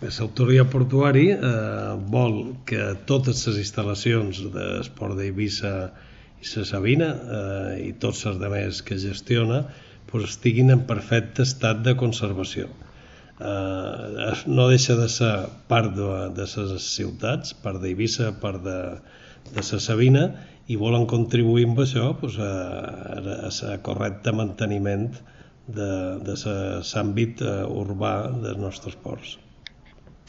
L'autoria portuari vol que totes les instal·lacions d'esport d'Eivissa i la Sabina i tots els altres que gestiona estiguin en perfecte estat de conservació. No deixa de ser part de les ciutats, part d'Eivissa, part de la Sabina, i volen contribuir amb això a correcte manteniment de l'àmbit urbà dels nostres ports.